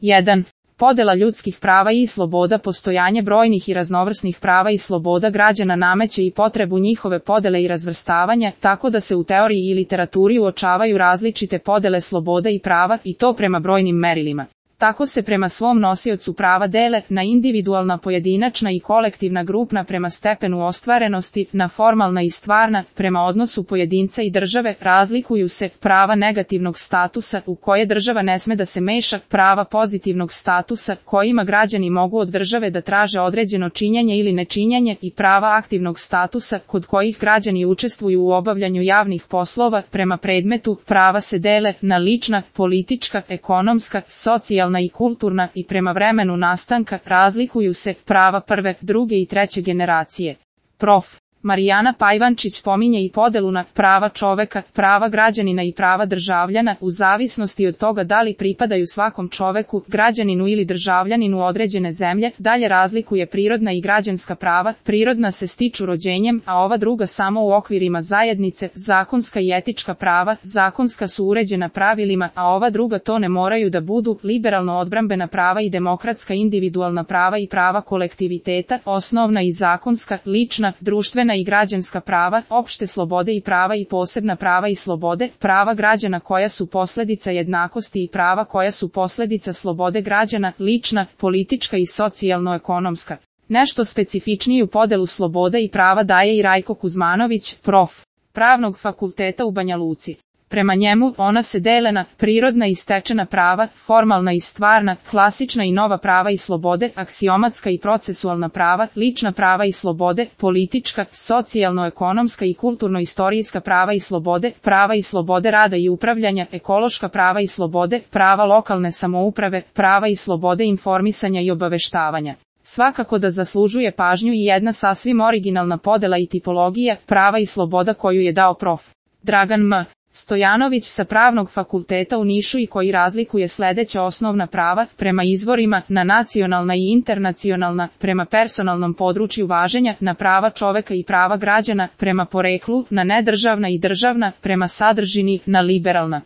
1. Podela ljudskih prava i sloboda. Postojanje brojnih i raznovrsnih prava i sloboda građana nameće i potrebu njihove podele i razvrstavanja, tako da se u teoriji i literaturi uočavaju različite podele sloboda i prava, i to prema brojnim merilima. Tako se prema svom nosiocu prava dele na individualna, pojedinačna i kolektivna, grupna prema stepenu ostvarenosti, na formalna i stvarna, prema odnosu pojedinca i države. Razlikuju se prava negativnog statusa, u koje država ne sme da se meša, prava pozitivnog statusa, kojima građani mogu od države da traže određeno činjenje ili nečinjenje, i prava aktivnog statusa, kod kojih građani učestvuju u obavljanju javnih poslova. Prema predmetu, prava se dele na lična, politička, ekonomska, socijalna i kulturna, i prema vremenu nastanka. Razlikuju se prava prve, druge i treće generacije. Prof. Marijana Pajvančić pominje i podelu na prava čoveka, prava građanina i prava državljana, u zavisnosti od toga da li pripadaju svakom čoveku, građaninu ili državljaninu određene zemlje. Dalje razlikuje prirodna i građanska prava. Prirodna se stiču rođenjem, a ova druga samo u okvirima zajednice. Zakonska i etička prava. Zakonska su uređena pravilima, a ova druga to ne moraju da budu. Liberalno odbrambena prava i demokratska individualna prava i prava kolektiviteta. Osnovna i zakonska, lična, društvena i građanska prava, opšte slobode i prava i posebna prava i slobode, prava građana koja su posledica jednakosti i prava koja su posledica slobode građana, lična, politička i socijalno-ekonomska. Nešto specifičniju podelu sloboda i prava daje i Rajko Kuzmanović, prof. Pravnog fakulteta u Banja Luci. Prema njemu, ona se dele na prirodna i stečena prava, formalna i stvarna, klasična i nova prava i slobode, aksiomatska i procesualna prava, lična prava i slobode, politička, socijalno-ekonomska i kulturno-istorijska prava i slobode rada i upravljanja, ekološka prava i slobode, prava lokalne samouprave, prava i slobode informisanja i obaveštavanja. Svakako da zaslužuje pažnju i jedna sasvim originalna podela i tipologija prava i sloboda koju je dao prof. Dragan M. Stojanović sa Pravnog fakulteta u Nišu i koji razlikuje sledeća osnovna prava, prema izvorima, na nacionalna i internacionalna, prema personalnom području važenja, na prava čoveka i prava građana, prema poreklu, na nedržavna i državna, prema sadržini, na liberalna.